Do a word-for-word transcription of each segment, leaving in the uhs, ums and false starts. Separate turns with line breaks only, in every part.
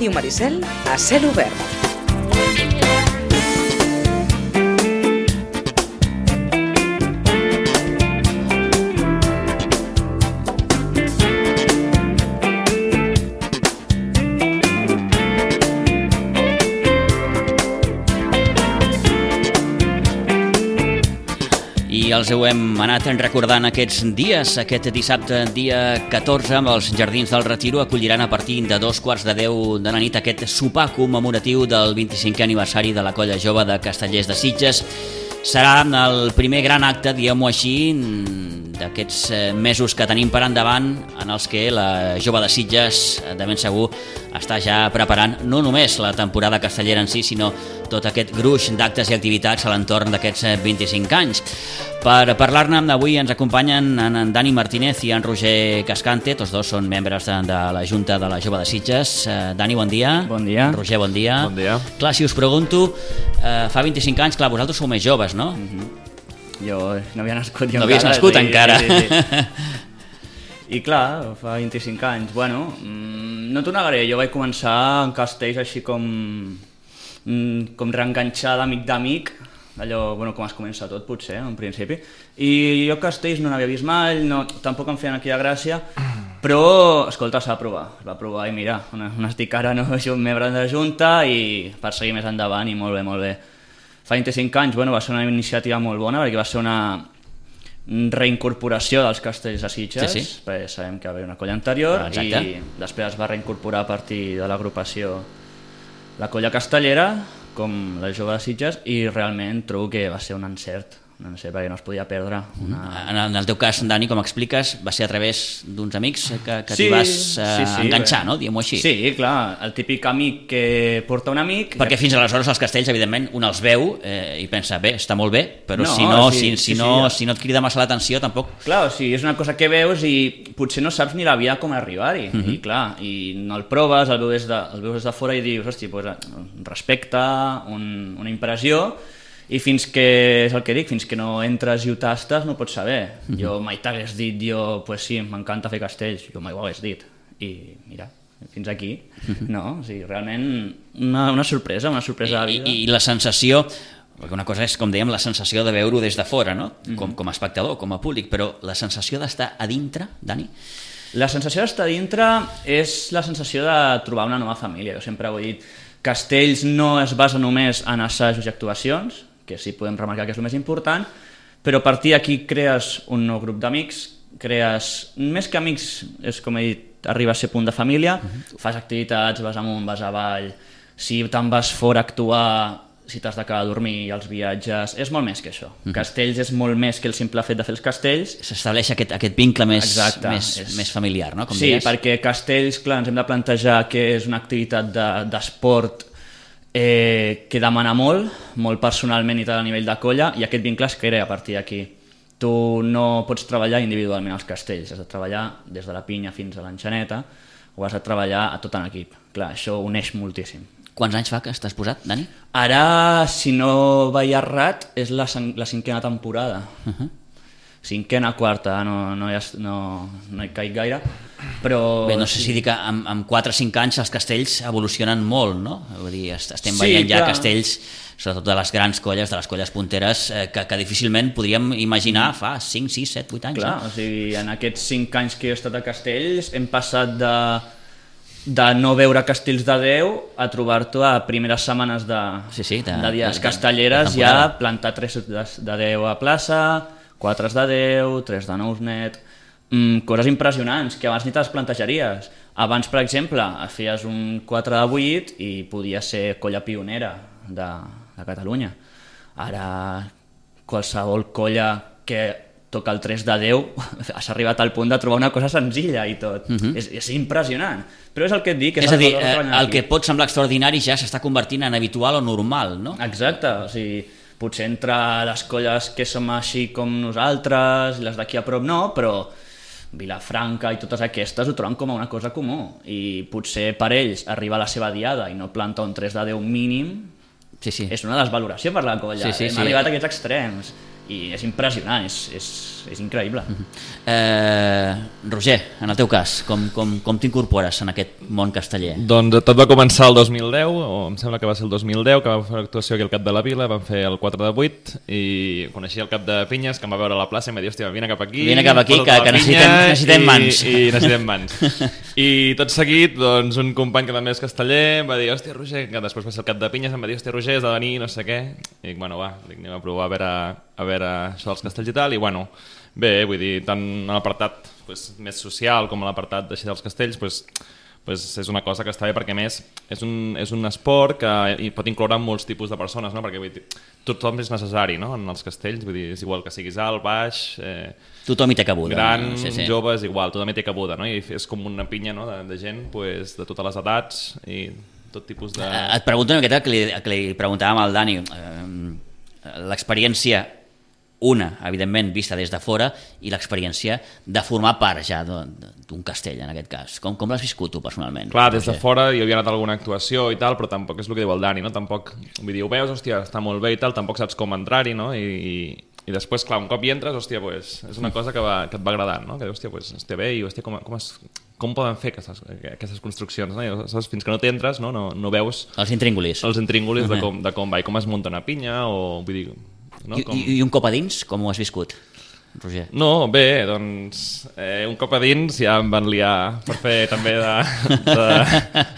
Ràdio Maricel a cel obert.
I els ho hem anat recordant aquests dies. Aquest dissabte, dia catorze, amb els Jardins del Retiro acolliran a partir de dos quarts de deu de la nit aquest sopar commemoratiu del vint-i-cinquè aniversari de la Colla Jove de Castellers de Sitges. Serà el primer gran acte, diguem-ho així, d'aquests mesos que tenim per endavant, en els que la Jove de Sitges, de ben segur, està ja preparant no només la temporada castellera en si, sinó tot aquest gruix d'actes i activitats a l'entorn d'aquests vint-i-cinc anys. Per parlar-ne avui ens acompanyen en Dani Martínez i en Roger Cascante, tots dos són membres de, de la Junta de la Jove de Sitges. Dani, bon dia.
Bon dia.
Roger, bon dia.
Bon dia.
Clar, si us pregunto, eh, fa vint-i-cinc anys, clar, vosaltres sou més joves, no?
Mm-hmm. Jo no havia nascut jo
no havies
encara.
nascut encara.
Sí, sí, sí. I clar, fa vint-i-cinc anys, bueno, no t'ho negaré, jo vaig començar en castells així com, com reenganxar d'amic d'amic, allò, bueno, com es comença tot potser, en principi, i jo castells no n'havia vist mai, no, tampoc em feien aquella gràcia, però, escolta, s'ha de provar, es va provar i mira, on, on estic ara, no, soc membre de Junta i per seguir més endavant i molt bé, molt bé. Fa vint-i-cinc anys, bueno, va ser una iniciativa molt bona perquè va ser una reincorporació dels castells de Sitges,
sí, sí.
perquè sabem que va haver una colla anterior.
Exacte.
I després es va reincorporar a partir de l'agrupació la colla castellera, com la Jove de Sitges, i realment trobo que va ser un encert, un encert perquè no es podia perdre. Una...
En el teu cas, Dani, com expliques, va ser a través d'uns amics que, que
sí,
t'hi vas eh,
sí, sí,
enganxar,
bé.
no? Diguem-ho així.
Sí, clar, el típic amic que porta un amic...
Perquè fins aleshores els castells, evidentment, un els veu eh, i pensa, bé, està molt bé, però
no,
si, no,
sí,
si,
sí,
si,
sí,
no,
sí.
si no et crida massa l'atenció, tampoc...
Clar, o sigui, és una cosa que veus i potser no saps ni la via com arribar-hi, uh-huh. i clar, i no el proves, el veus des de, el veus des de fora i dius, hosti, pues, un respecte, un, una impressió, i fins que, és el que dic, fins que no entres i ho tastes no pots saber. Uh-huh. Jo mai t'hagués dit, jo, pues sí, m'encanta fer castells, jo mai ho hagués dit, i mira, fins aquí, uh-huh. no? O sigui, realment una, una sorpresa, una sorpresa de vida.
I, i la sensació, perquè una cosa és, com dèiem, la sensació de veure-ho des de fora, no? Uh-huh. Com, com a espectador, com a públic, però la sensació d'estar a dintre, Dani?
La sensació d'estar a dintre és la sensació de trobar una nova família. Jo sempre ho he dit, castells no es basa només en assajos i actuacions, que sí podem remarcar que és el més important, però a partir d'aquí crees un nou grup d'amics, crees, més que amics, és com he dit, arriba a ser punt de família, uh-huh. fas activitats, vas amunt, vas avall, si te'n vas fora a actuar, si t'has de quedar a dormir i els viatges, és molt més que això. Uh-huh. Castells és molt més que el simple fet de fer els castells.
S'estableix aquest, aquest vincle més,
Exacte,
més,
és...
més familiar, no? Com
sí,
deies.
perquè castells, clar, ens hem de plantejar que és una activitat de, d'esport Eh, que demana molt, molt personalment i tal a nivell de colla, i aquest vincle es crea a partir d'aquí. Tu no pots treballar individualment als castells, has de treballar des de la pinya fins a l'enxaneta, o has de treballar a tot en equip. Clar, això uneix moltíssim.
Quants anys fa que estàs posat, Dani?
Ara, si no vaig errat, és la, la cinquena temporada.
Uh-huh.
Cinquena, quarta, no, no, hi ha, no, no hi caic gaire, però...
Bé, no sé si dir que amb, amb quatre o cinc anys els castells evolucionen molt, no? Vull dir, estem
Sí,
veient ja
clar.
castells, sobretot de les grans colles, de les colles punteres, eh, que, que difícilment podríem imaginar fa cinc, sis, set, vuit anys.
Clar,
no?
o sigui, en aquests cinc anys que he estat a castells hem passat de, de no veure castells de deu a trobar-te a primeres setmanes de,
Sí, sí, de-
de dies
de- de-
castelleres,
de
ja
temporada.
plantar tres de, de deu a plaça, quatre de deu, tres de nous net, mm, coses impressionants que abans ni te les plantejaries. Abans, per exemple, feies un quatre de vuit i podia ser colla pionera de, de Catalunya. Ara qualsevol colla que toca el tres de deu has arribat al punt de trobar una cosa senzilla i tot. Uh-huh. És, és impressionant. Però és el que et dic.
És
el
a dir,
valor de
eh,
treballar
el
aquí.
que pot semblar extraordinari ja s'està convertint en habitual o normal, no?
Exacte, o sigui, potser entre les colles que som així com nosaltres, les d'aquí a prop no, però Vilafranca i totes aquestes ho troben com a una cosa comú, i potser per ells arribar a la seva diada i no plantar un tres de deu mínim
Sí, sí.
és una desvaloració per la colla.
Sí, sí,
Hem
sí.
arribat a aquests extrems i és impressionant, és, és, és increïble.
Uh-huh. eh, Roger, en el teu cas, com, com, com t'incorpores en aquest món casteller?
Doncs tot va començar el dos mil deu, o em sembla que va ser el dos mil deu, que vam fer una actuació aquí al Cap de la Vila, vam fer el quatre de vuit, i coneixia el Cap de Pinyes, que em va veure a la plaça i em va dir, hòstia, vine cap aquí,
vine cap aquí, que, que necessitem, necessitem mans.
I, i necessitem mans. I tot seguit, doncs, un company que també és casteller em va dir, hòstia, Roger, que després va ser el Cap de Pinyes, em va dir, hòstia, Roger, has de venir, no sé què. I dic, bueno, va, dic, anem a provar a veure, a veure això dels castells i tal, i bueno, bé, vull dir, tant en l'apartat pues, més social com en l'apartat d'així dels castells, pues, pues és una cosa que està bé perquè a més és un, és un esport que pot incloure molts tipus de persones, no? Perquè vull dir, tothom és necessari, no? En els castells, vull dir, és igual que siguis alt, baix, eh,
tothom hi té cabuda,
gran,
no? Sí, sí.
jove, és igual, tothom hi té cabuda, no? I és com una pinya, no? de, de gent pues, de totes les edats i tot tipus de...
Et pregunto una miqueta que li, que li preguntàvem al Dani, eh, l'experiència una, evidentment, vista des de fora, i l'experiència de formar part ja d'un castell, en aquest cas. Com, com l'has viscut tu, personalment?
Clar, des de fora jo havia anat a alguna actuació i tal, però tampoc és el que diu el Dani, no? Tampoc, vull dir, ho veus, hòstia, està molt bé i tal, tampoc saps com entrar-hi, no? I, i, i després, clar, un cop hi entres, hòstia, pues, és una cosa que, va, que et va agradant, no? Que hòstia, pues, està bé i, hòstia, com, com, es, com poden fer aquestes, aquestes construccions, no? I, saps, fins que no t'entres, no? No, no veus...
Els intríngulis.
Els intríngulis uh-huh. de, com, de com va i com es munta una pinya, o vull dir... No?
I,
Com...
I un cop a dins, com ho has viscut, Roger?
No, bé, doncs eh, un cop a dins ja em van liar per fer també de, de,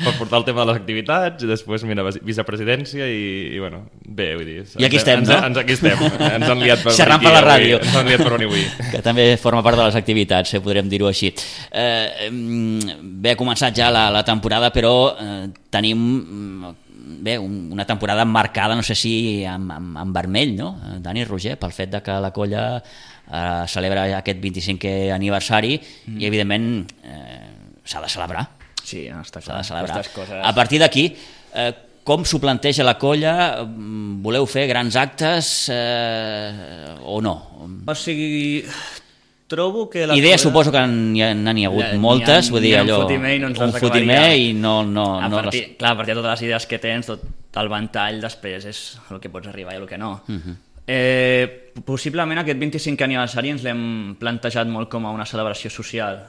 per portar el tema de les activitats i després, mira, vicepresidència i, i bueno, bé, vull dir...
I aquí estem,
ens,
no?
Ens, aquí estem, ens han liat per
xerrant per la ràdio.
Ens han liat per on avui.
Que també forma part de les activitats, eh, podrem dir-ho així. Eh, bé, ha començat ja la, la temporada, però eh, tenim... bé, una temporada marcada, no sé si amb, amb, amb vermell, no? Dani, Roger, pel fet de que la colla eh, celebra aquest vint-i-cinquè aniversari mm. i, evidentment, eh, s'ha de celebrar.
Sí, no, està
clar. S'ha de celebrar.
Coses...
A partir d'aquí, eh, com s'ho planteja la colla? Voleu fer grans actes eh, o no?
O sigui... Trobo que la
Idees
colla...
suposo que n'hi ha, n'hi ha hagut
ja,
moltes,
ha,
vull dir allò,
un fotimer i no ens
un
les
fotimer i no... no,
a
no
partir,
les...
Clar, a partir de totes les idees que tens, tot el ventall després és el que pots arribar i el que no. Uh -huh. eh, possiblement aquest vint-i-cinquè aniversari ens l'hem plantejat molt com a una celebració social.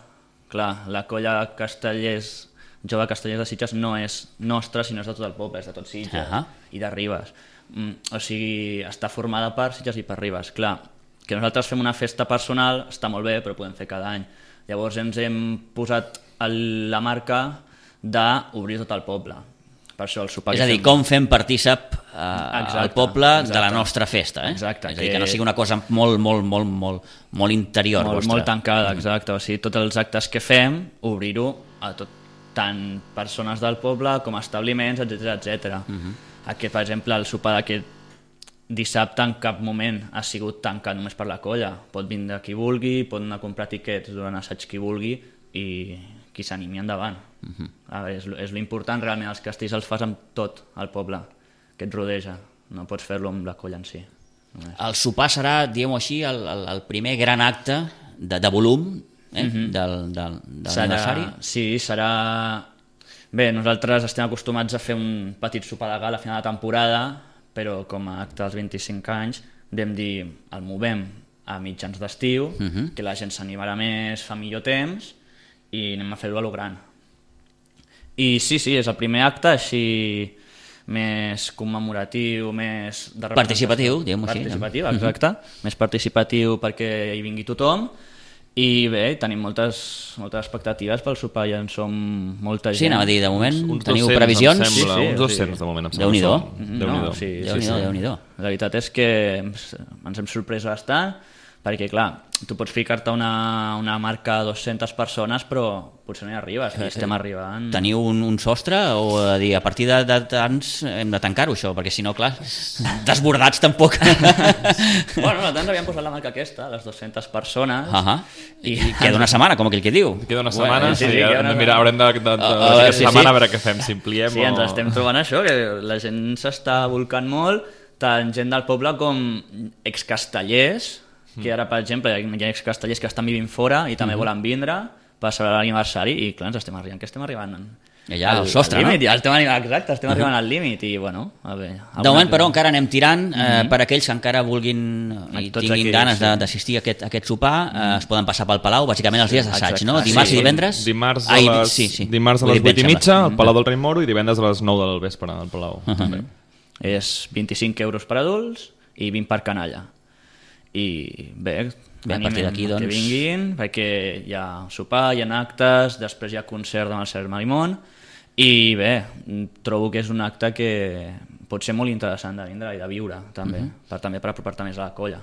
Clar, la colla Castellers, jove Castellers de Sitges no és nostra, sinó és de tot el poble, és de tot Sitges uh -huh. i de Ribes. Mm, o sigui, està formada per Sitges i per Ribes. Clar, que nosaltres fem una festa personal està molt bé, però podem fer cada any. Llavors ens hem posat el, la marca d'obrir tot el poble. Per això el sopar...
És a dir,
fem...
com fem partícip eh, exacte, al poble exacte. de la nostra festa. Eh?
Exacte.
És a dir, que no sigui una cosa molt, molt, molt, molt, molt interior.
Molt,
vostra.
molt tancada, exacte. O sigui, tots els actes que fem, obrir-ho a tot, tant persones del poble com establiments, etcètera, etcètera. Uh-huh. Aquest, per exemple, el sopar d'aquest dissabte en cap moment ha sigut tancat només per la colla. Pot vindre qui vulgui, pot anar a comprar tiquets durant assaig qui vulgui i qui s'animi endavant. Uh-huh. A veure, és, és l'important realment, els castells els fas amb tot el poble que et rodeja, no pots fer-lo amb la colla en si. Només.
El sopar serà, diguem-ho així, el, el, el primer gran acte de, de volum eh? uh-huh. del, del, del serà, aniversari?
Sí, serà... Bé, nosaltres estem acostumats a fer un petit sopar de gala a final de temporada, però com a acte dels vint-i-cinc anys vam dir, el movem a mitjans d'estiu, uh-huh. que la gent s'animarà més, fa millor temps, i anem a fer-ho a lo gran. I sí, sí, és el primer acte així més commemoratiu, més... de
participatiu, diguem-ho així.
Participatiu, exacte. Uh-huh. Més participatiu perquè hi vingui tothom. I bé, tenim moltes, moltes expectatives pel sopar, ja en som molta gent.
Sí, anava a dir, de moment
uns
teniu
docents,
previsions?
Em sembla,
sí, sí,
uns docents
sí.
de moment, em sembla.
Déu-n'hi-do.
Déu-n'hi-do.
No, sí,
Déu-n'hi-do,
sí, sí.
Déu-n'hi-do.
La veritat és que ens hem sorprès bastant, perquè clar, tu pots ficar-te una, una marca de dues-centes persones, però potser no hi arribes, i estem arribant...
Teniu un, un sostre o a dir, a partir de, de tants hem de tancar-ho això, perquè si no, clar, desbordats tampoc.
Bueno, nosaltres havíem posat la marca aquesta, les dues-centes persones.
Uh -huh. I, I queda una setmana, com aquell que diu.
Queda una setmana, bueno,
sí,
sí,
sí,
sí,
queda una...
mira, haurem de, de, de, de,
Uh,
de, de
sí,
setmana
sí.
a veure què fem, si ampliem
Sí,
o...
ens estem trobant això, que la gent s'està volcant molt, tant gent del poble com excastellers, que ara, per exemple, hi ha excastellers que estan vivint fora i també uh-huh. volen vindre per celebrar l'aniversari, i clar, ens estem arribant, que estem arribant
Ja, el sostre,
límit,
no?
Ja estem arribant, exacte, estem arribant al límit i, bueno, a veure...
De moment, però, encara anem tirant. Eh,
Mhm.
per aquells que encara vulguin i
Tots
tinguin
aquells,
ganes
sí.
de- d'assistir a aquest, a aquest sopar, eh, es poden passar pel Palau, bàsicament els dies d'assaig,
exacte.
no?
Ah,
Dimarts
sí.
i divendres?
Dimarts a
Ai,
les,
sí, sí.
dimarts a
Ho he
les
dit
vuit i
bé, em
mitja
sembla.
al Palau del Rei Moro i divendres a les nou del vespre al Palau. també.
És vint-i-cinc euros per adults i vint per canalla. I bé,
Bé, a partir d'aquí, doncs-
que vinguin, perquè hi ha sopar, hi ha actes, després hi ha concert amb el Sergi Marimón, i bé, trobo que és un acte que pot ser molt interessant de vindre i de viure, també, per, també per apropar-te més a la colla.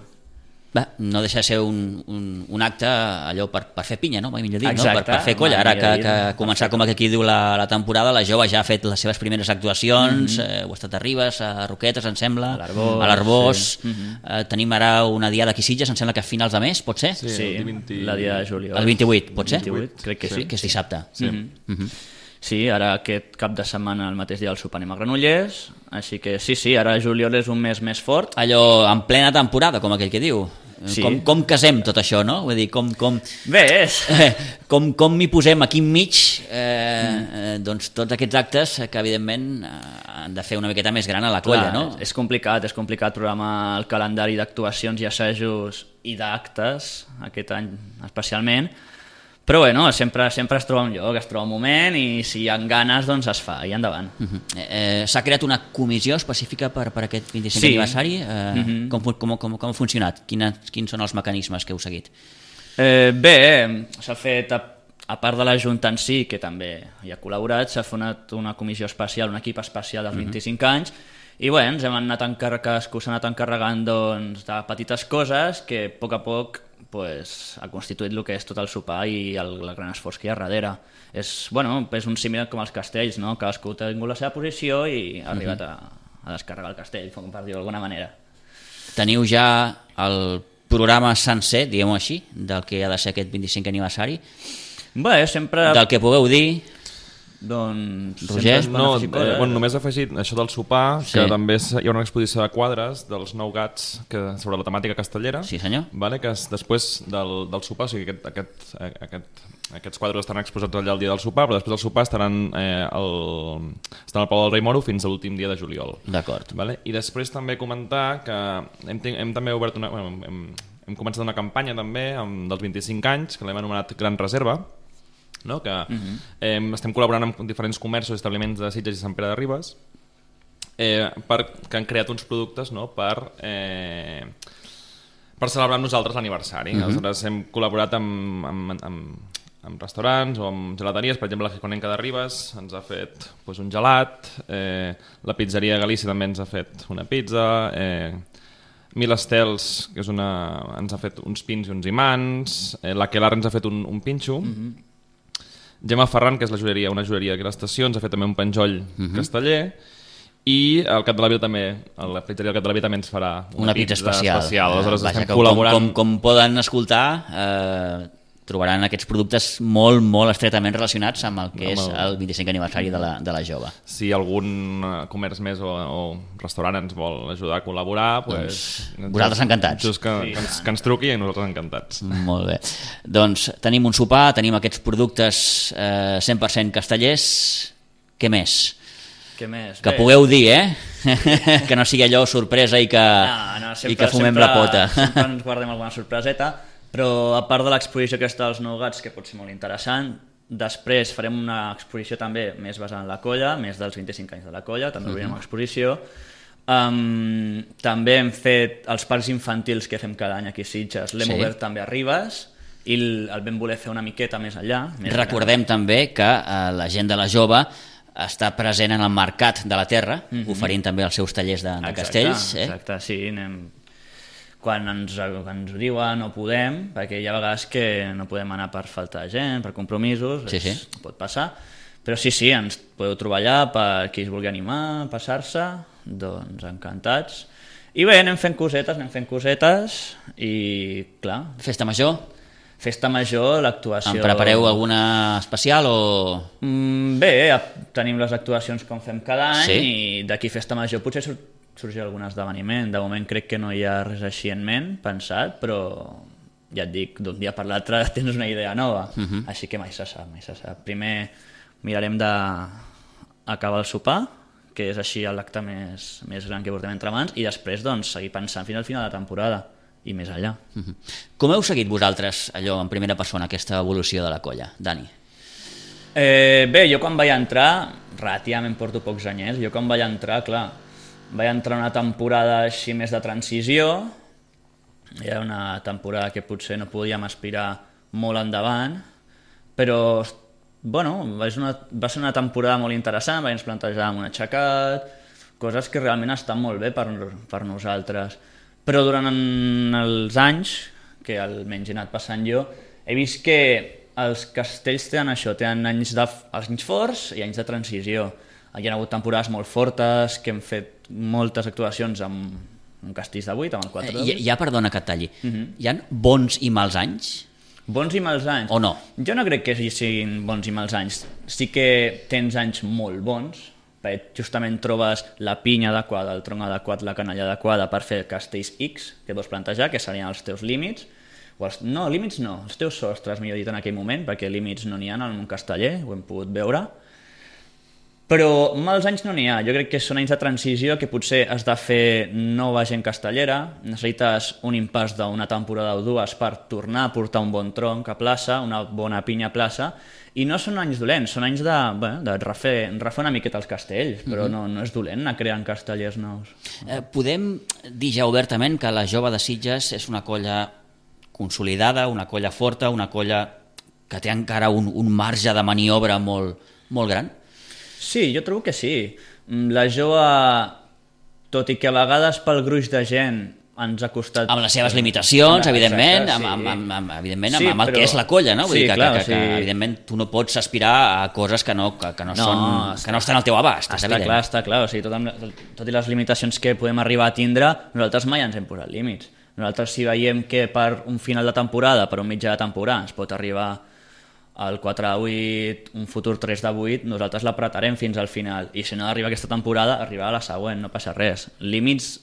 Bé, no deixa de ser un, un, un acte allò per, per fer pinya, no? Mai millor dit, no?
Exacte,
Per, per fer colla. Ara
mai
que,
millor
que
dit.
començar, com aquí diu la, la temporada, la jove ja ha fet les seves primeres actuacions, eh, ho ha estat a Ribes, a Roquetes, em sembla,
A l'Arboç,
a l'Arboç.
sí.
Eh, tenim ara una diada aquí a Sitges, em sembla que a finals de mes, pot ser?
Sí,
Sí,
el vint-
la dia de juliol.
El vint-i-vuit, pot ser?
vint-i-vuit, crec que sí.
Que és dissabte.
Sí.
Mhm.
Sí, ara aquest cap de setmana, el mateix dia del sopar, anem a Granollers, així que sí, sí, ara juliol és un mes més fort.
Allò en plena temporada, com aquell que diu.
Sí.
Com, com casem tot això, no? Vull dir, com, com,
Bé, és...
eh, com, com m'hi posem aquí enmig, eh, eh, doncs tots aquests actes que evidentment eh, han de fer una miqueta més gran a la colla,
Clar,
no?
És complicat, és complicat programar el calendari d'actuacions i assajos i d'actes, aquest any especialment, però bueno, sempre, sempre es troba un lloc, es troba un moment i si hi ha ganes doncs es fa i endavant.
Uh-huh. eh, S'ha creat una comissió específica per, per aquest vint-i-cinquè
Sí.
aniversari? Eh,
Mhm.
com, com, com, com ha funcionat? Quina, quins són els mecanismes que heu seguit?
Eh, bé, s'ha fet, a, a part de la Junta en si, que també hi ha col·laborat, s'ha fet una comissió especial, un equip especial dels vint-i-cinc anys, i bé, ens hem anat encarregant, cadascú s'ha anat encarregant doncs, de petites coses que a poc a poc pues, ha constituït el que és tot el sopar i el, el gran esforç que hi ha darrere. És, bueno, és un símil com els castells, no? Cadascú ha tingut la seva posició i ha arribat a, a descarregar el castell, com per dir-ho d'alguna manera.
Teniu ja el programa sencer, diguem-ho així, del que ha de ser aquest vint-i-cinquè aniversari,
Bé, sempre...
del que pugueu dir.
Doncs...
Roger?
sempre es poden
No,
afegir
eh,
coses.
bueno, només he afegit això del sopar,
Sí.
que també és- hi ha una exposició de quadres dels nou gats que, sobre la temàtica castellera,
Sí, senyor.
vale, que és després del, del sopar, o sigui, aquest, aquest, eh, aquest, aquests quadres estan exposats allà el dia del sopar, però després del sopar estaran, eh, el, estan al Palau del Rei Moro fins a l'últim dia de juliol.
D'acord.
Vale? I després també comentar que hem, ten- hem també obert una... Bueno, hem, hem començat una campanya també amb, dels vint-i-cinc anys, que l'hem anomenat Gran Reserva, no? que uh -huh. eh, estem col·laborant amb diferents comerços i establiments de Sitges i Sant Pere de Ribes eh, per, que han creat uns productes, no? per, eh, per celebrar amb nosaltres l'aniversari. Uh -huh. Aleshores hem col·laborat amb, amb, amb, amb restaurants o amb gelateries, per exemple la Giconenca de Ribes ens ha fet doncs, un gelat, eh, la pizzeria Galícia també ens ha fet una pizza, eh, Mil Estels, que és una, ens ha fet uns pins i uns imants, eh, la Quelar ens ha fet un, un pinxo, uh -huh. Gemma Ferran, que és la joieria, una joieria aquí a l'estació, ens ha fet també un penjoll uh -huh. casteller, i el Cap de la Vila també, la pizzeria del Cap de la Vila també ens farà una,
Una pizza especial.
especial. Aleshores
Eh, vaja,
estem
com,
col·laborant...
Com, com, com poden escoltar, eh, trobaran aquests productes molt, molt estretament relacionats amb el que
Amb
és
el-
el vint-i-cinquè aniversari de la, de la jove.
Si algun eh, comerç més o, o restaurant ens vol ajudar a col·laborar, pues,
Doncs vosaltres encantats.
Just que, sí, que, ens, que ens truqui i nosaltres encantats.
Molt bé. Doncs tenim un sopar, tenim aquests productes eh, cent per cent castellers. Què més?
Què més?
Que
Bé,
pugueu dir, eh? Que no sigui allò sorpresa i que,
No, no, sempre,
i que fumem
sempre,
la pota.
Sempre ens guardem alguna sorpreseta, però a part de l'exposició aquesta dels nou gats, que pot ser molt interessant, després farem una exposició també més basada en la colla, més dels vint-i-cinc anys de la colla, també obrirem una exposició. Um, també hem fet els parcs infantils que fem cada any aquí a Sitges, l'hem
Sí.
obert també a Ribes, i el, el vam voler fer una miqueta més enllà. Més
Recordem també que eh, la gent de la jove està present en el Mercat de la Terra,
Mhm.
oferint també els seus tallers de, de
Exacte,
castells. Eh?
Exacte, sí, anem... Quan ens, ens ho diuen no podem, perquè hi ha vegades que no podem anar per falta de gent, per compromisos,
Sí, sí.
és, pot passar, però sí, sí, ens podeu trobar allà per qui es vulgui animar, a passar-se, doncs encantats. I bé, anem fent cosetes, anem fent cosetes, i clar,
Festa major,
festa major, l'actuació...
en prepareu alguna especial o...?
Mm, bé, a- tenim les actuacions com fem cada any,
Sí.
i d'aquí festa major potser sur sorgirà algun esdeveniment. De moment crec que no hi ha res així en ment, pensat, però ja et dic, d'un dia per l'altre tens una idea nova, uh -huh. així que mai se sap, mai se sap. Primer mirarem d'acabar el sopar, que és així l'acte més, més gran que portem entre mans, i després doncs, seguir pensant fins al final de la temporada i més allà.
Uh-huh. Com heu seguit vosaltres, allò, en primera persona, aquesta evolució de la colla, Dani?
Eh, bé, jo quan vaig entrar, relativament porto pocs anyets, jo quan vaig entrar, clar, vaig entrar una temporada així més de transició, era una temporada que potser no podíem aspirar molt endavant, però bueno, va ser una, va ser una temporada molt interessant, ens plantejàvem un aixecat, coses que realment estan molt bé per, per nosaltres. Però durant els anys, que almenys he anat passant jo, he vist que els castells tenen això, tenen anys, de, anys forts i anys de transició. Hi ha hagut temporades molt fortes, que hem fet moltes actuacions amb, amb castells de vuit, amb el quatre de vuit.
Eh, ja, perdona que et talli,
uh-huh.
hi ha bons i mals anys?
Bons i mals anys?
O no?
Jo no crec que hi siguin bons i mals anys. Sí que tens anys molt bons, perquè justament trobes la pinya adequada, el tronc adequat, la canalla adequada per fer castells X que vols plantejar, que serien els teus límits. O els, no, límits no, els teus sostres, millor dit, en aquell moment, perquè límits no n'hi ha en el món casteller, ho hem pogut veure. Però mals anys no n'hi ha, jo crec que són anys de transició que potser has de fer nova gent castellera, necessites un impàs d'una temporada o dues per tornar a portar un bon tronc a plaça, una bona pinya a plaça, i no són anys dolents, són anys de, bé, de refer, refer una miqueta els castells, però no, no és dolent anar creant castellers nous.
Eh, podem dir ja obertament que la Jove de Sitges és una colla consolidada, una colla forta, una colla que té encara un, un marge de maniobra molt, molt gran?
Sí, jo trobo que sí. La Jove, tot i que a vegades pel gruix de gent ens ha costat...
Amb les seves limitacions, evidentment,
exacte,
amb,
sí.
amb, amb, amb, evidentment,
Sí,
amb, amb el
però-
que és la colla, no? Vull
sí,
dir que,
clar,
que, que,
sí.
que, evidentment, tu no pots aspirar a coses que no, que, que no,
No,
són,
està-
que no estan al teu abast, és
Està
evident.
clar, està clar. O sigui, tot, amb, tot i les limitacions que podem arribar a tindre, nosaltres mai ens hem posat límits. Nosaltres, si veiem que per un final de temporada, per un mitjà de temporada, ens pot arribar el quatre de vuit, un futur tres de vuit, nosaltres l'apretarem fins al final. I si no arriba aquesta temporada, arribarà la següent, no passa res. Límits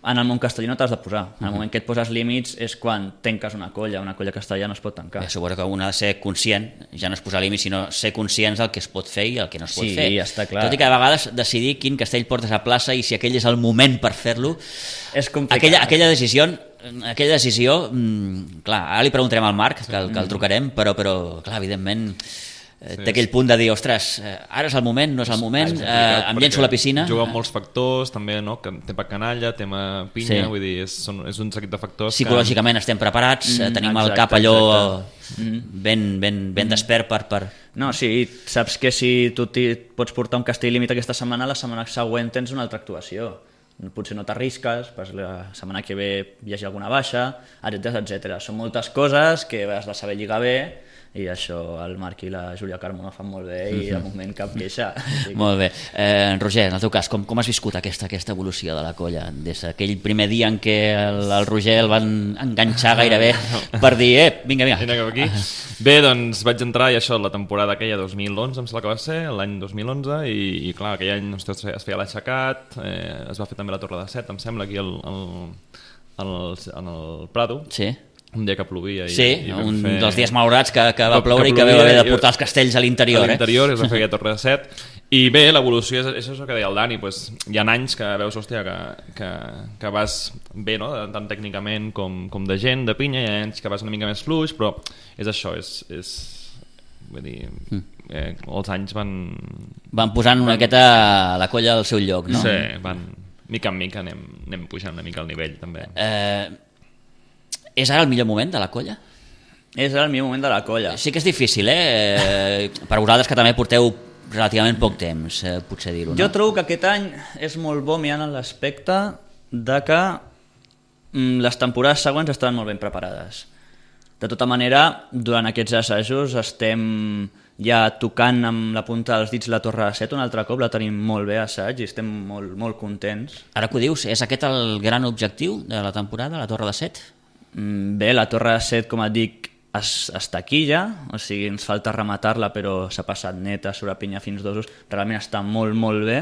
en el món castellà no t'has de posar. En el moment que et poses límits és quan tanques una colla. Una colla castellà no es pot tancar.
Bé, suposo que un ha de ser conscient, ja no és posar límits, sinó ser conscients del que es pot fer i el que no es pot
Sí,
fer.
està clar.
Tot i que a vegades decidir quin castell portes a plaça i si aquell és el moment per fer-lo,
És complicat.
aquella, aquella decisió, aquella decisió mmm, clar, ara li preguntarem al Marc, que el, que el trucarem, però, però clar, evidentment eh, té aquell punt de dir, ostres, eh, ara és el moment, no és el moment, eh, em llenço a la piscina.
Juga amb molts factors, també, no? Que tema canalla, tema pinya,
Sí.
vull dir, és, són, és un seguit de factors
Psicològicament estem preparats, mm, tenim
exacte,
el cap allò
exacte.
ben, ben, ben despert per... per...
No, sí, saps que si tu t'hi pots portar un castell límit aquesta setmana, la setmana següent tens una altra actuació. Potser no t'arrisques, pues la setmana que ve hi hagi alguna baixa, etcètera, etcètera. Són moltes coses que has de saber lligar bé, i això el Marc i la Júlia Carmona fan molt bé i de moment cap queixa. Així que-
Molt bé. Eh, Roger, en el teu cas, com, com has viscut aquesta, aquesta evolució de la colla? Des d'aquell primer dia en què el, el Roger el van enganxar gairebé per dir, eh, vinga, vinga.
Vine cap aquí. Bé, doncs vaig entrar i això, la temporada aquella dos mil onze, em sembla que va ser, l'any dos mil onze, i, i clar, aquell any ostres, es feia l'aixecat, eh, es va fer també la Torre de Set, em sembla, aquí al, al, al, en el Prado,
Sí,
un dia que plovia. I,
sí
i vam
un
fer...
dels dies malaurats que, que va
Que-
ploure
que
i que vam
plovia
haver de
i-
portar els castells a l'interior.
a l'interior,
eh?
es va fer aquella Torre de Set, i bé, l'evolució és, és això que deia el Dani, pues, hi ha anys que veus, hòstia, que, que, que vas bé, no? Tant tècnicament com, com de gent, de pinya, hi ha anys que vas una mica més fluix, però és això, és... és vull dir, eh, els anys van...
Van posant una miqueta la colla al seu lloc, no?
Sí, van... Mica en mica anem, anem pujant una mica el nivell, també.
Eh, és ara el millor moment de la colla?
És el millor moment de la colla.
Sí que és difícil, eh? eh per vosaltres que també porteu relativament poc temps, eh, potser dir-ho, no?
Jo trobo que aquest any és molt bo mirant en l'aspecte de que mm, les temporades següents estan molt ben preparades. De tota manera, durant aquests assajos estem ja tocant amb la punta dels dits la Torre de Set un altre cop, la tenim molt bé a assaig i estem molt, molt contents.
Ara que ho dius, és aquest el gran objectiu de la temporada, la Torre de Set?
Mm, Bé, la Torre de Set, com et dic, es, es taquilla, o sigui, ens falta rematar-la, però s'ha passat neta sobre pinya fins dosos, realment està molt, molt bé.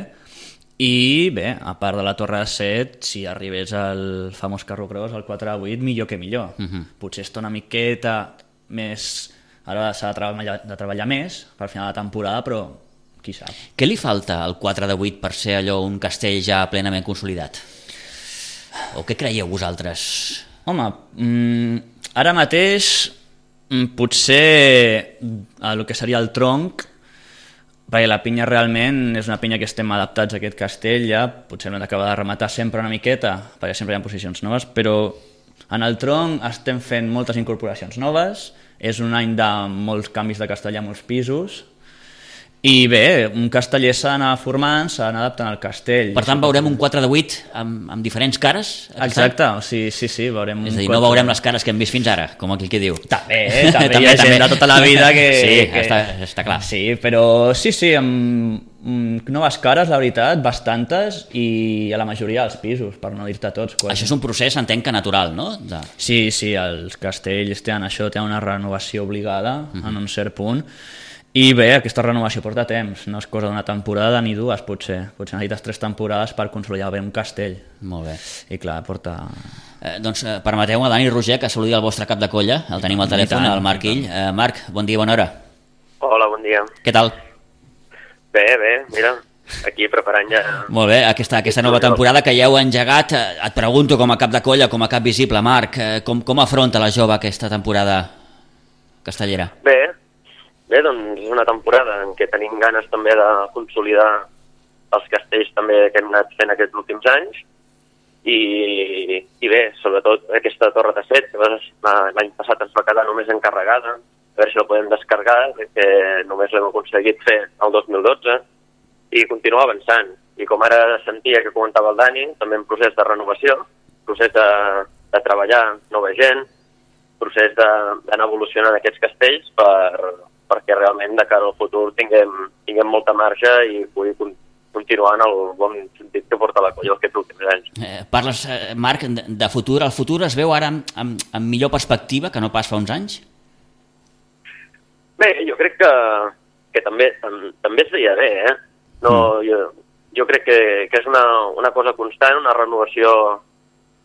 I bé, a part de la Torre de Set, si arribés al famós Carro Cross, el quatre de vuit, millor que millor. Uh-huh. Potser està una miqueta més Ara s'ha de treballar, de treballar més per final de temporada, però qui sap.
Què li falta al quatre de vuit per ser allò un castell ja plenament consolidat? O què creieu vosaltres?
Home, mm, ara mateix mm, potser el que seria el tronc, perquè la pinya realment és una pinya que estem adaptats a aquest castell ja, potser hem d'acabar de rematar sempre una miqueta, perquè sempre hi ha posicions noves, però en el tronc estem fent moltes incorporacions noves, és un any de molts canvis de castellà, molts pisos, i bé, un casteller s'ha d'anar formant, s'ha d'anar adaptant al castell.
Per tant, veurem un quatre de vuit amb, amb diferents cares?
Exacte, o sigui, sí, sí, veurem...
És a dir,
un
no veurem les cares que hem vist fins ara, com aquell que diu.
També, eh? també, també hi ha gent de tota la vida que...
Sí,
que...
Està, està clar.
Sí, però sí, sí, amb noves cares, la veritat, bastantes, i a la majoria dels pisos, per no dir-te tots. Quasi.
Això és un procés, entenc que natural, no? De...
Sí, sí, els castells tenen això, tenen una renovació obligada, uh-huh. en un cert punt, i bé, aquesta renovació porta temps, no és cosa d'una temporada ni dues, potser. Potser necessites tres temporades per consolidar bé un castell.
Molt bé.
I clar, porta...
Eh, doncs eh, permeteu a Dani Roger que saludi el vostre cap de colla, el tenim al telèfon, el Marc Ill. Eh, Marc, bon dia, bona hora.
Hola, bon dia.
Què tal?
Bé, bé, mira, aquí preparant ja...
Molt bé, aquesta, aquesta nova temporada que ja heu engegat, eh, et pregunto com a cap de colla, com a cap visible, Marc, eh, com, com afronta la jove aquesta temporada castellera?
Bé, Bé, doncs és una temporada en què tenim ganes també de consolidar els castells també que hem anat fent aquests últims anys i, i bé, sobretot aquesta torre de set, que l'any passat ens va quedar només encarregada, a veure si la podem descarregar, que només l'hem aconseguit fer el dos mil dotze, i continuar avançant. I com ara sentia que comentava el Dani, també en procés de renovació, procés de, de treballar nova gent, procés d'anar evolucionant aquests castells per... perquè realment de cara al futur tinguem, tinguem molta marge i pugui continuar en el bon sentit que porta la colla aquests últims anys.
Eh, parles, eh, Marc, de, de futur. El futur es veu ara amb, amb, amb millor perspectiva que no pas fa uns anys?
Bé, jo crec que, que també, tam, també es veia bé, eh? No, mm. jo, jo crec que, que és una, una cosa constant, una renovació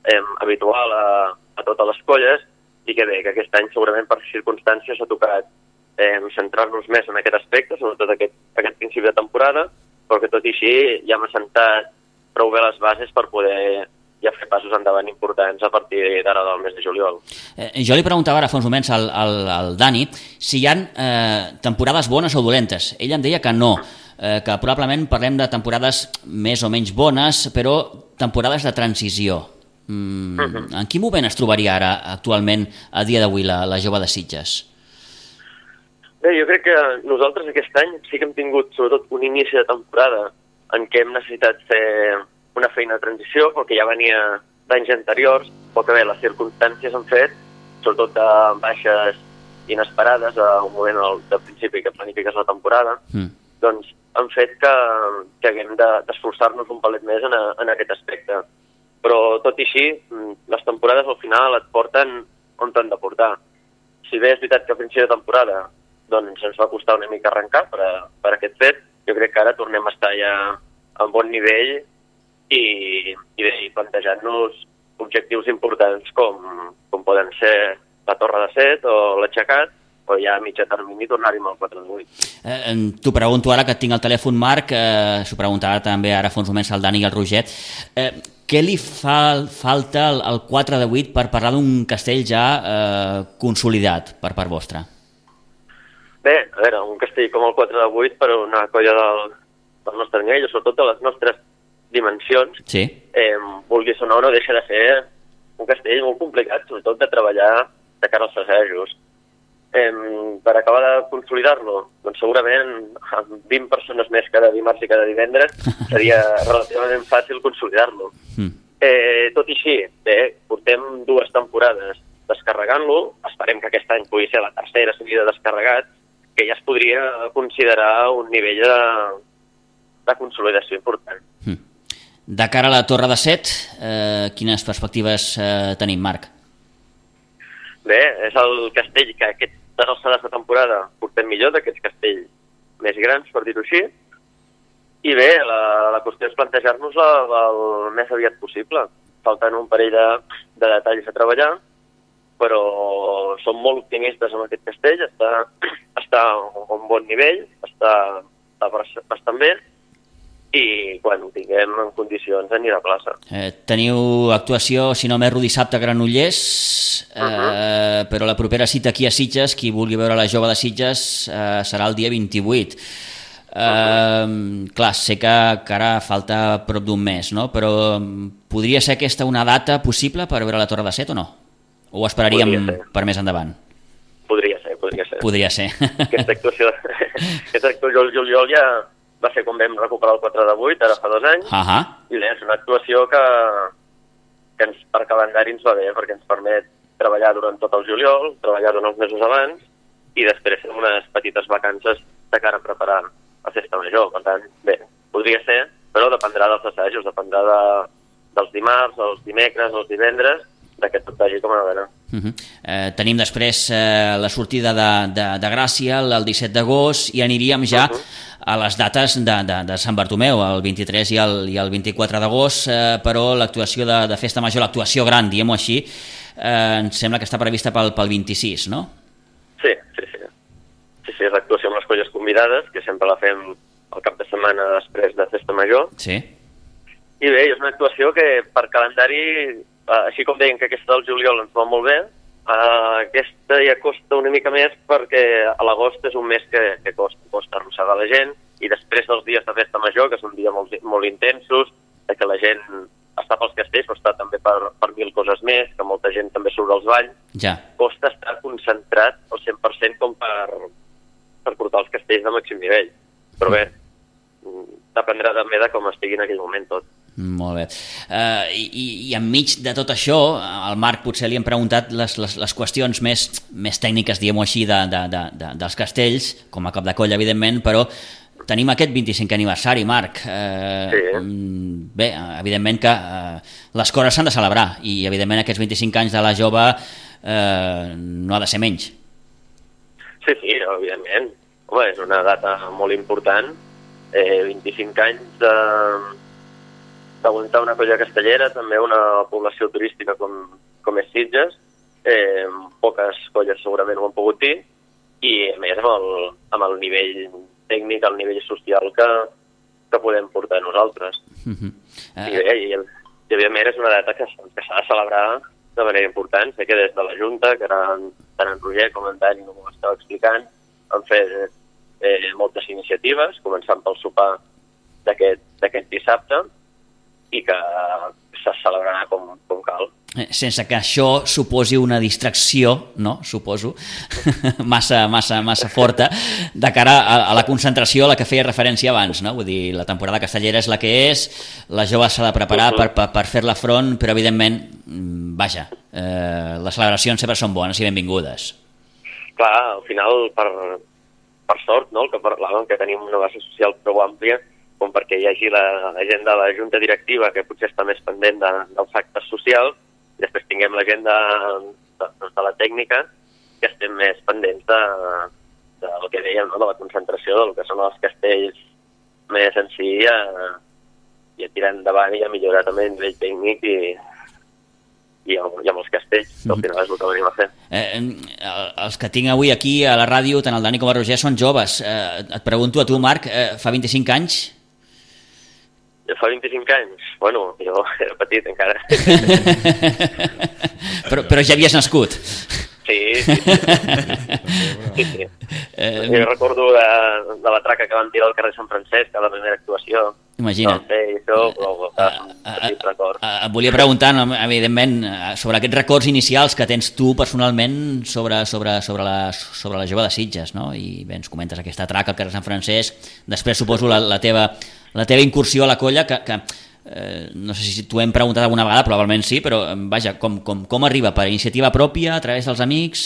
eh, habitual a, a totes les colles i que bé, que aquest any segurament per circumstàncies ha tocat Eh, centrar-nos més en aquest aspecte, sobretot aquest, aquest principi de temporada, però que tot i així ja hem assentat prou bé les bases per poder ja fer passos endavant importants a partir d'ara del mes de juliol.
Eh, jo li preguntava ara fa uns moments al, al, al Dani si hi ha eh, temporades bones o dolentes. Ell em deia que no, eh, que probablement parlem de temporades més o menys bones, però temporades de transició. Mm, uh-huh. En quin moment es trobaria ara, actualment, a dia d'avui, la, la jove de Sitges?
Bé, jo crec que nosaltres aquest any sí que hem tingut sobretot un inici de temporada en què hem necessitat fer una feina de transició perquè ja venia d'anys anteriors, però que bé, les circumstàncies han fet, sobretot de baixes inesperades a un moment de principi que planifiques la temporada, mm. doncs han fet que, que haguem d'esforçar-nos un palet més en, a, en aquest aspecte. Però tot i així, les temporades al final et porten on t'han de portar. Si bé és veritat que a principi de temporada doncs ens va costar una mica arrencar per, a, per aquest fet. Jo crec que ara tornem a estar ja a un bon nivell i, i, bé, i plantejant-nos objectius importants com, com poden ser la Torre de Set o l'Aixecat, o ja a mitjà termini tornar-hi amb el quatre de vuit.
Eh, T'ho pregunto ara que tinc el telèfon, Marc, eh, s'ho preguntava també ara fa uns moments al Dani i al Roger. Eh, què li fa falta al, al quatre de vuit per parlar d'un castell ja eh, consolidat per part vostra?
Bé, a veure, un castell com el quatre de vuit per una colla del, del nostre nivell, sobretot de les nostres dimensions,
sí.
eh, vulguis o no, no deixa de ser un castell molt complicat, sobretot de treballar de cara als assajos. Eh, per acabar de consolidar-lo, doncs segurament amb vint persones més cada dimarts i cada divendres seria relativament fàcil consolidar-lo. Mm. Eh, tot i així, bé, portem dues temporades descarregant-lo, esperem que aquest any pugui ser la tercera seguida descarregat, que ja es podria considerar un nivell de, de consolidació important.
Mm. De cara a la Torre de Set, eh, quines perspectives eh, tenim, Marc?
Bé, és el castell que aquestes alçades de temporada portem millor, d'aquests castells més grans, per dir-ho així, i bé, la, la qüestió és plantejar-nos-la el més aviat possible. Falten un parell de, de detalls a treballar, però som molt optimistes amb aquest castell, està, està a un bon nivell, està, està bastant bé, i quan ho tinguem en condicions anirà a plaça.
Eh, teniu actuació, si no m'erro, dissabte a Granollers, eh, uh-huh. però la propera cita aquí a Sitges, qui vulgui veure la jove de Sitges, eh, serà el dia vint-i-vuit. Eh, uh-huh. Clar, sé que, que ara falta prop d'un mes, no? Però podria ser aquesta una data possible per veure la Torre de Set o no? O ho esperaríem per més endavant?
Podria ser, podria ser.
Podria ser.
Aquesta actuació, aquesta actuació al juliol ja va ser quan vam recuperar el quatre de vuit, ara fa dos anys,
uh-huh.
i bé, és una actuació que, que ens, per calendari ens va bé, perquè ens permet treballar durant tot el juliol, treballar durant els mesos abans, i després fer unes petites vacances de cara a preparar la festa major. Per tant, bé, podria ser, però dependrà dels assajos, dependrà de, dels dimarts, els dimecres, els divendres, que tot vagi com a veure.
Uh-huh. eh, tenim després eh, la sortida de, de, de Gràcia el disset d'agost i aniríem ja uh-huh. a les dates de, de, de Sant Bartomeu, el vint-i-tres i el, i el vint-i-quatre d'agost, eh, però l'actuació de, de Festa Major, l'actuació gran, diguem-ho així, eh, em sembla que està prevista pel, pel vint-i-sis, no?
Sí, sí, sí. Sí, sí, és l'actuació amb les colles convidades, que sempre la fem el cap de setmana després de Festa Major.
Sí.
I bé, és una actuació que per calendari, així com deien que aquesta del juliol ens va molt bé, uh, aquesta ja costa una mica més perquè a l'agost és un mes que, que costa, costa arrossegar la gent, i després dels dies de Festa Major, que són dies molt, molt intensos, que la gent està pels castells, però està també per, per mil coses més, que molta gent també surt als balls,
ja. Costa
estar concentrat al cent per cent com per, per portar els castells de màxim nivell. Però bé, dependrà també de com estigui en aquell moment tot.
Molt bé. Uh, i, I enmig de tot això, al Marc potser li hem preguntat les, les, les qüestions més, més tècniques, diguem-ho així, de, de, de, de, dels castells, com a cap de colla, evidentment, però tenim aquest vint-i-cinquè aniversari, Marc. Uh,
sí.
Bé, evidentment que uh, les coses s'han de celebrar, i evidentment aquests vint-i-cinc anys de la jove uh, no ha de ser menys.
Sí, sí, evidentment. Home, és una data molt important. Eh, vint-i-cinc anys de... d'aguantar una colla castellera, també una població turística com, com és Sitges, eh, poques colles segurament ho han pogut dir, i a més amb el, amb el nivell tècnic, el nivell social que, que podem portar nosaltres. Uh-huh. uh, I bé, i, i evidentment és una data que, que s'ha de celebrar de manera important. Sé que des de la Junta, que ara tant en Roger com en Dani no m'ho estava explicant, han fet eh, moltes iniciatives, començant pel sopar d'aquest dissabte, i que se celebrarà com, com cal.
Sense que això suposi una distracció, no? Suposo, massa, massa, massa forta, de cara a, a la concentració a la que feia referència abans, no? Vull dir, la temporada castellera és la que és, la jove s'ha de preparar uh-huh. per, per, per fer-la front, però evidentment, vaja, eh, les celebracions sempre són bones i benvingudes.
Clar, al final, per, per sort, no?, el que parlàvem, que tenim una base social prou àmplia, com perquè hi hagi la, la gent de la Junta Directiva, que potser està més pendent de, dels actes socials, i després tinguem la gent de, de, de la tècnica, que estem més pendents de, de del que dèiem, no?, de la concentració, del que són els castells més en si, i a, i a tirar endavant i a millorar també a nivell tècnic i, i, amb, i amb els castells, que al final és el que venim a fer.
Eh, els que tinc avui aquí a la ràdio, tant el Dani com el Roger, són joves. Eh, et pregunto a tu, Marc, eh, fa vint-i-cinc anys?
Fa vint-i-cinc anys? Bueno, jo era petit encara.
però, però ja havies nascut?
Sí, sí. sí, sí. Eh, jo recordo de, de la traca que van tirar al carrer Sant Francesc a la primera actuació.
Imagina't.
No, sí, això, però uh, un petit record.
Uh, et volia preguntar, no, evidentment, sobre aquests records inicials que tens tu personalment sobre, sobre, sobre, la, sobre la jove de Sitges, no? I bé, ens comentes aquesta traca al carrer Sant Francesc, després suposo la, la teva... la teva incursió a la colla, que, que eh, no sé si t'ho hem preguntat alguna vegada, probablement sí, però vaja, com, com, com arriba? Per iniciativa pròpia, a través dels amics?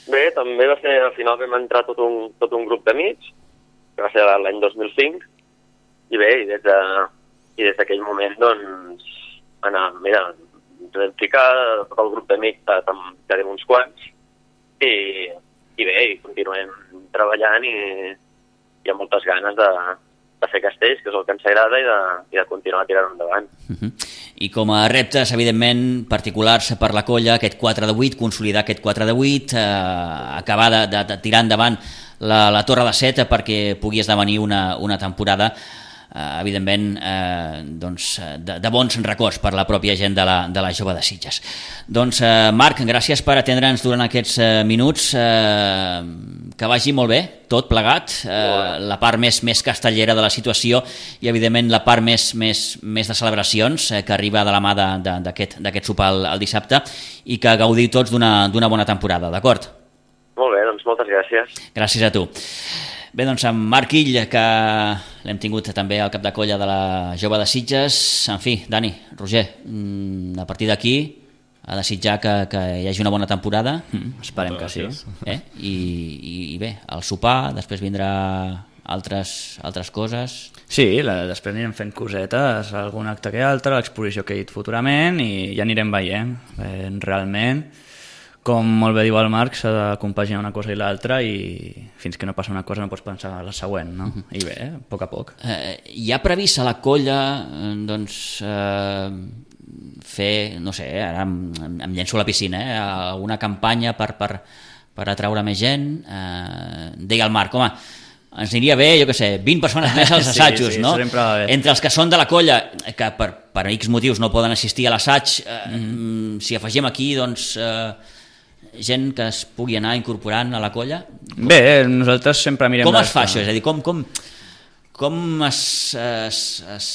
Bé, també va ser, al final vam entrar tot un, tot un grup d'amics, que va ser l'any dos mil cinc, i bé, i des de, i des d'aquell moment, doncs, anar, mira, ens vam ficar, tot el grup d'amics, quedem uns quants, i, i bé, i continuem treballant i hi ha moltes ganes de de fer castells, que és el que ens agrada, i de, i de continuar tirant endavant.
Uh-huh. I com a reptes, evidentment, particulars per la colla, aquest quatre de vuit, consolidar aquest quatre de vuit, eh, acabar de, de, de tirar endavant la, la Torre de set perquè pugui esdevenir una, una temporada eh, evidentment eh, doncs, de, de bons records per la pròpia gent de la, de la Jove de Sitges. Doncs eh, Marc, gràcies per atendre'ns durant aquests eh, minuts, eh, que vagi molt bé tot plegat, eh, la part més, més castellera de la situació i evidentment la part més, més, més de celebracions eh, que arriba de la mà d'aquest sopar el, el dissabte i que gaudiu tots d'una bona temporada, d'acord?
Molt bé, doncs moltes gràcies.
Gràcies a tu. Bé, doncs amb Marc Ill, que l'hem tingut també al cap de colla de la Jove de Sitges. En fi, Dani, Roger, a partir d'aquí a desitjar que, que hi hagi una bona temporada. Mm, esperem que sí. Eh? I, i, I bé, el sopar, després vindrà altres, altres coses.
Sí, la, després anirem fent cosetes, algun acte que altre, l'exposició que he dit futurament i ja anirem veient. Eh, realment, com molt bé diu el Marc, s'ha de compaginar una cosa i l'altra i fins que no passa una cosa no pots pensar en la següent, no? Uh-huh. I bé, a poc a poc.
Eh, hi ha previst a la colla doncs, eh, fer, no sé, ara em, em llenço a la piscina, eh, alguna campanya per, per, per atraure més gent? Eh, deia el Marc, home, ens aniria bé, jo què sé, vint persones més als assajos, sí, sí, no? Entre els que són de la colla, que per, per X motius no poden assistir a l'assaig, eh, mm-hmm. si afegim aquí, doncs... Eh, gent que es pugui anar incorporant a la colla?
Bé, nosaltres sempre mirem...
Com es fa això? És a dir, com, com, com es... es, es...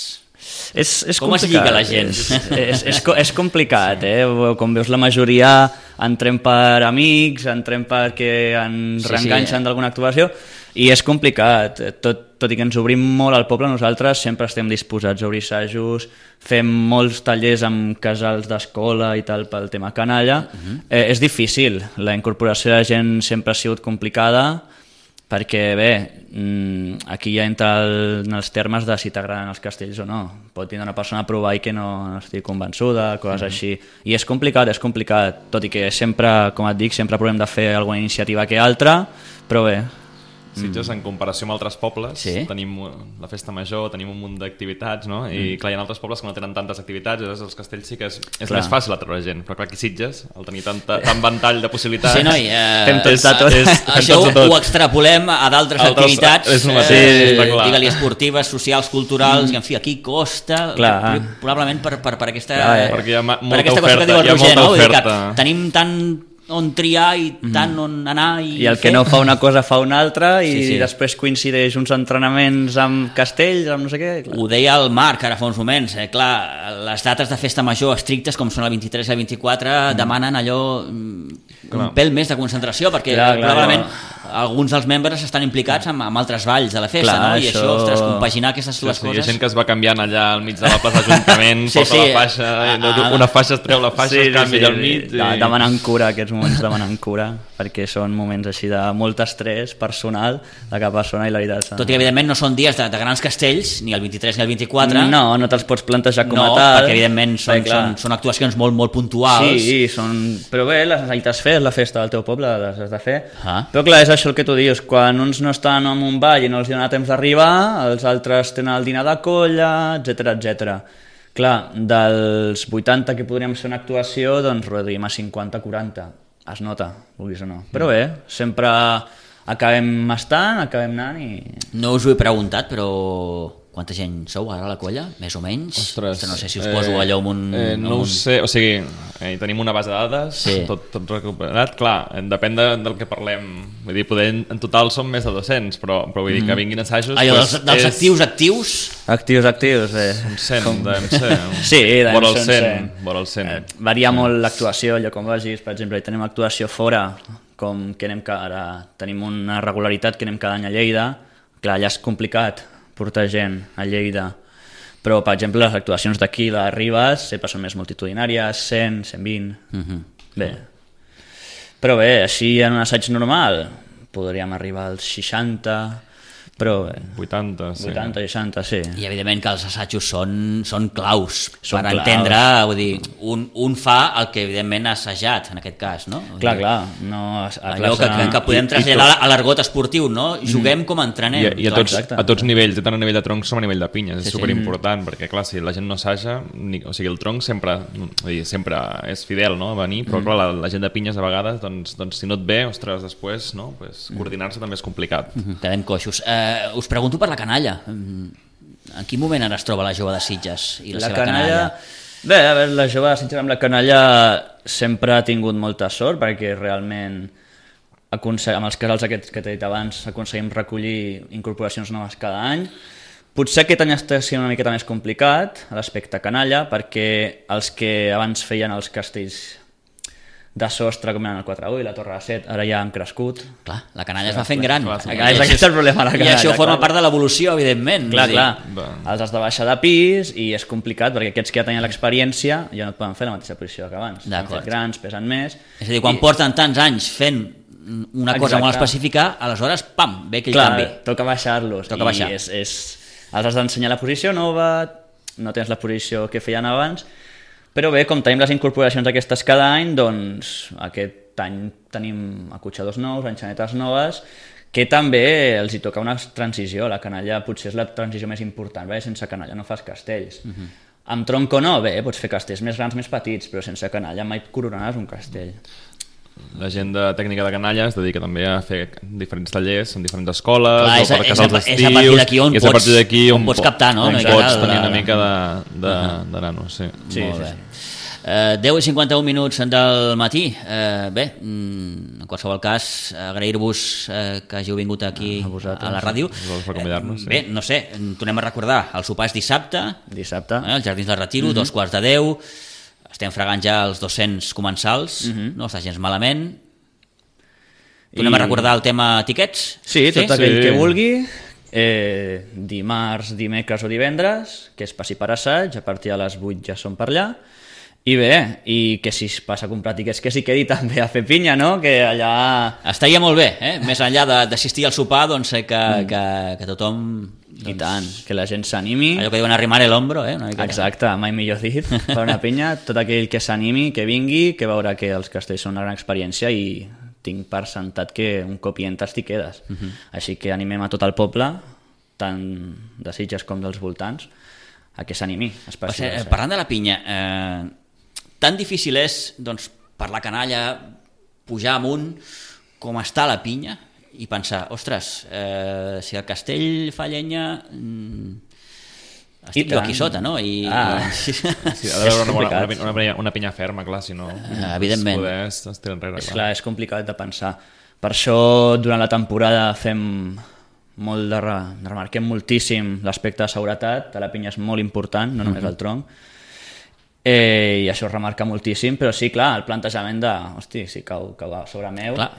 És, és
com complicat. Es lliga la gent?
És, és, és, és complicat, eh? Com veus, la majoria entrem per amics, entrem perquè ens sí, reenganxen sí, eh? d'alguna actuació, i és complicat. Tot, tot i que ens obrim molt al poble, nosaltres sempre estem disposats a obrir assajos, fem molts tallers amb casals d'escola i tal pel tema canalla. Uh-huh. eh, és difícil, la incorporació de la gent sempre ha sigut complicada, perquè bé, aquí ja entra el, en els termes de si t'agraden els castells o no. Pot vindre una persona a provar i que no, no estigui convençuda, coses uh-huh. així. I és complicat, és complicat, tot i que sempre, com et dic, sempre provem de fer alguna iniciativa que altra, però bé.
Sitges, en comparació amb altres pobles,
sí.
tenim la festa major, tenim un munt d'activitats, no? I clar, hi ha altres pobles que no tenen tantes activitats, llavors els castells sí que és, és més fàcil atraure gent, però clar, aquí Sitges, al tenir tanta, tant ventall de possibilitats...
Sí, noi, eh,
fem tot, és, tot.
És, això ho, ho extrapolem a d'altres activitats,
és eh,
eh, digue-li esportives, socials, culturals, mm. i en fi, aquí costa,
clar.
probablement per, per, per aquesta,
clar,
perquè hi ha molta
per aquesta
oferta,
cosa que diu el Roger, no? Vull dir que tenim tant on triar i tant on anar i,
i el
fer.
que no fa una cosa fa una altra i
sí, sí.
després coincideix uns entrenaments amb castells, amb no sé què. Clar.
Ho deia el Marc ara fa uns moments, eh? Clar, les dates de festa major estrictes com són el vint-i-tres i el vint-i-quatre mm. demanen allò clar. un pèl més de concentració perquè clar, clar, probablement clar. alguns dels membres estan implicats amb, amb altres balls de la festa, clar, no? I això, això ostres, compaginar aquestes dues
sí, sí,
coses...
Hi ha gent que es va canviant allà al mig de la plaça d'Ajuntament, sí, porta sí. la faixa, ah, una faixa es treu la faixa, sí, es canvia sí, al mig...
Sí. I... demanant cura, aquests moments demanant cura, perquè són moments així de molt estrès personal de cada persona i la veritat...
Tot i que evidentment no són dies de, de grans castells, ni el vint-i-tres ni el vint-i-quatre...
No, no te'ls pots plantejar com
no,
a tal...
perquè evidentment són, són, són actuacions molt, molt puntuals...
Sí, són... però bé, les necessites fer, la festa del teu poble, les has de fer...
Ah.
Però clar, és això el que tu dius, quan uns no estan en un ball i no els dona temps d'arribar, els altres tenen el dinar de colla, etcètera, etcètera. Clar, dels vuitanta que podríem fer una actuació, doncs reduïm a cinquanta quaranta. Es nota, vulguis o no. Però bé, sempre acabem estant, acabem anant i...
No us ho he preguntat, però quanta gent sou ara a la colla, més o menys?
Ostres,
no sé si us poso allò amb un...
Eh, no
amb un...
ho sé, o sigui, eh, tenim una base de dades,
sí.
tot, tot recuperat, clar, depèn de, del que parlem, vull dir, poder, en total són més de dos-cents, però, però vull dir que vinguin assajos...
Allò
pues,
dels, dels
és...
actius, actius...
Actius, actius, eh.
Un cent, Com... devem ser. Un...
Sí, devem
vora el
ser
cent. Vora el cent.
Eh, varia sí. molt l'actuació, allò com vagis, per exemple, tenim actuació fora, com que anem ara tenim una regularitat que anem cada any a Lleida, clar, allà és complicat portar gent a Lleida, però per exemple les actuacions d'aquí, les Ribes, sempre són més multitudinàries, cent, cent vint, uh-huh. bé. Però bé, així en un assaig normal podríem arribar als seixanta, però bé,
vuitanta, sí.
vuitanta, seixanta, sí.
I evidentment que els assajos són, són claus
Són
per
claus.
entendre, vull dir, un, un fa el que evidentment ha assajat, en aquest cas, no? Vull
Clar,
dir,
clar, no... A
allò
classe...
que, que, que podem traslladar a l'argot esportiu, no? Juguem com entrenem.
I, i a, tots,
exacte.
a tots nivells, tant a nivell de troncs com a nivell de pinyes, és
Sí, sí.
superimportant, perquè clar, si la gent no assaja, ni, o sigui, el tronc sempre, vull dir, sempre és fidel, no?, a venir, però clar, la, la gent de pinyes a vegades, doncs, doncs si no et ve, ostres, després, no?, pues, coordinar-se també és complicat.
Mhm, quedem coixos. Eh, us pregunto per la canalla. En quin moment ara es troba la jove de Sitges i la,
La
seva canalla?
canalla... Bé, a veure, la jove de Sitges amb la canalla sempre ha tingut molta sort perquè realment aconse- amb els casals aquests que t'he dit abans aconseguim recollir incorporacions noves cada any. Potser aquest any està sent una miqueta més complicat l'aspecte canalla perquè els que abans feien els castells de sostre com eren el quatre u i la Torre de Set ara ja han crescut.
Clar, la canalla es va fent gran.
clar, sí.
I
Clar, és aquest el problema, la
I
canalla,
això forma
clar.
part de l'evolució, evidentment.
Clar,
Vull dir,
clar,
va.
els has de baixar de pis i és complicat perquè aquests que ja tenien l'experiència ja no et poden fer la mateixa posició que abans. Són
D'acord.
més grans, pesen més.
És a dir, quan
I-
porten tants anys fent una cosa
Exacte.
molt específica, aleshores, pam, ve aquell
Clar,
canvi.
toca baixar-los.
Toca
i
baixar.
És, és, els has d'ensenyar la posició nova, no tens la posició que feien abans, però bé, com tenim les incorporacions aquestes cada any, doncs aquest any tenim acotxadors nous, enxanetes noves, que també els hi toca una transició. La canalla potser és la transició més important, perquè sense canalla no fas castells. Uh-huh. Amb tronc o no, bé, pots fer castells més grans, més petits, però sense canalla mai coronaràs un castell.
La gent de tècnica de canalla es dedica també a fer diferents tallers en diferents escoles,
Clar,
o
és a-
per
és a-
casals
és a
estius,
partir d'aquí on
i és a
pots-
partir d'aquí
on pots
po-
captar, no?
on
Una
pots
mica
tenir
la-
una mica de, de, de nanos, sí.
Sí,
Molt
sí,
bé.
sí.
Eh, deu i cinquanta-un minuts del matí. Eh, bé, mm, en qualsevol cas, agrair-vos eh, que hàgiu vingut aquí
A
a,
vosaltres.
a la ràdio.
Vosaltres per convidar-nos, sí.
Bé, no sé, tornem a recordar, el sopar és dissabte,
Dissabte.
eh, als Jardins del Retiro, mm -hmm. dos quarts de deu, estem fregant ja els dos-cents comensals, mm -hmm. no està gens malament. Tornem
I-
a recordar el tema tiquets?
Sí, tot
Sí.
aquell
Sí.
que vulgui, eh, dimarts, dimecres o divendres, que és passi per assaig, a partir de les vuit ja som per allà, i bé, i que si es passa a comprar tiquets que s'hi quedi també a fer pinya, no? Que allà...
Estaria molt bé, eh? Més enllà de- d'assistir al sopar, doncs sé que, mm. que, que tothom... Doncs,
I tant, que la gent s'animi.
allò que diuen arrimar el hombro, eh? Una miqueta.
Exacte, mai millor dit, per una pinya, tot aquell que s'animi, que vingui, que veurà que els castells són una gran experiència i tinc per sentat que un cop hi entres t'hi quedes. Uh -huh. Així que animem a tot el poble, tant de Sitges com dels voltants, a que s'animi.
Per ser, eh, parlant de la pinya, eh, tan difícil és, doncs, per la canalla, pujar amunt com està la pinya i pensar, ostres, eh, si el castell fa llenya... Mm, estic jo
tant.
aquí sota, no? I,
Ah.
i...
Sí, ha d'haver una, bona,
complicat.
una, una, pinya, una pinya ferma, clar, si no...
Ah, evidentment.
Poder es, es tira enrere,
És
clar.
clar, és complicat de pensar. Per això, durant la temporada fem molt de, re... de remarquem moltíssim l'aspecte de seguretat, de la pinya és molt important, no només el tronc, eh, i això es remarca moltíssim, però sí, clar, el plantejament de, hosti, si cau, cau a sobre meu,
Clar.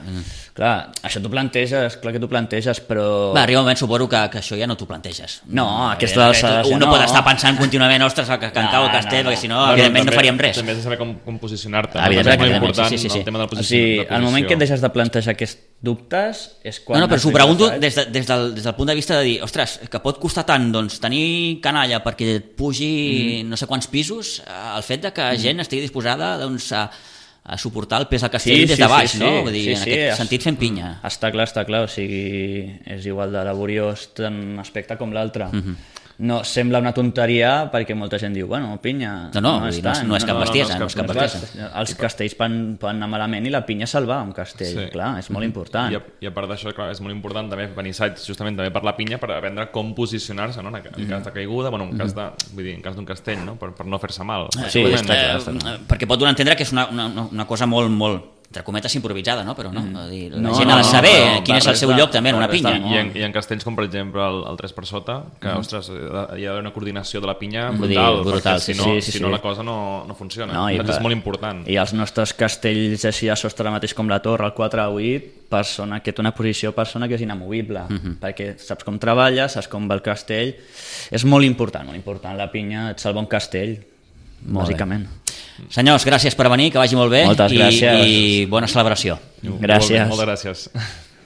clar, això t'ho planteges, clar que t'ho planteges, però...
Va, arriba un moment, suposo que, que això ja no t'ho planteges.
No, aquesta
Eh,
alçada
Un
ja
no,
no.
pot estar pensant contínuament, ostres, que, que en cau el
No,
castell,
no,
perquè si no,
Bueno,
evidentment, no
també-
faríem res.
També has de saber com, com posicionar-te.
Ah,
no?
evidentment,
També és molt
evidentment,
important
sí, sí, sí.
el tema de la
O
posició.
sigui,
de
al moment
posició.
que et deixes de plantejar aquests dubtes és quan...
No, no, però
has
s'ho
fet
pregunto
l'assaig.
des, de, des, del, des del punt de vista de dir, ostres, que pot costar tant doncs, tenir canalla perquè et pugi mm. no sé quants pisos, eh, el fet de que gent estigui disposada doncs, a, a suportar el pes del castell
Sí,
des
sí,
de baix,
sí,
no?
sí.
Vull dir,
Sí,
en
sí,
aquest
es-
sentit fent pinya.
Està clar, està clar, o sigui, és igual de laboriós tant un aspecte com l'altre.
Mhm.
No, sembla una tonteria perquè molta gent diu, bueno, pinya...
No, no, vull dir, no és-
tant,
no és cap bestiesa, no és cap
clar,
bestiesa.
Els castells poden, poden anar malament i la pinya salvar un castell,
Sí.
clar, és molt important.
I a, I a part d'això, clar, és molt important també venir assaigs justament també per la pinya per aprendre com posicionar-se, no? En, en cas de caiguda, bueno, en cas de, vull dir, en cas d'un castell, no? Per, per no fer-se mal.
Sí,
Bàsicament.
està clar,
Eh,
està clar.
perquè pot donar a entendre que és una, una, una cosa molt, molt entre cometes improvisada, no? Però no, mm. dir, la
No,
gent
no,
ha de
no,
saber
però
quin és el seu
barrejar-
lloc també en una pinya.
barrejar
I en, I en castells com per exemple el, el tres per sota, que mm. ostres, hi ha d'haver una coordinació de la pinya
Vull dir,
brutal,
brutal,
perquè si
sí,
no,
sí, sí,
si
sí.
no la cosa no, no funciona.
No,
No,
i
és
per-
molt important.
I els nostres castells així a sostre mateix com la torre, el quatre a vuit, persona que té una posició persona que és inamovible, uh -huh. perquè saps com treballa, saps com va el castell, és molt important, molt important, la pinya et salva un castell,
Molt
bàsicament.
Senyors, gràcies per venir, que vagi molt bé
Moltes
i,
gràcies.
i bona celebració.
Gràcies.
Moltes gràcies.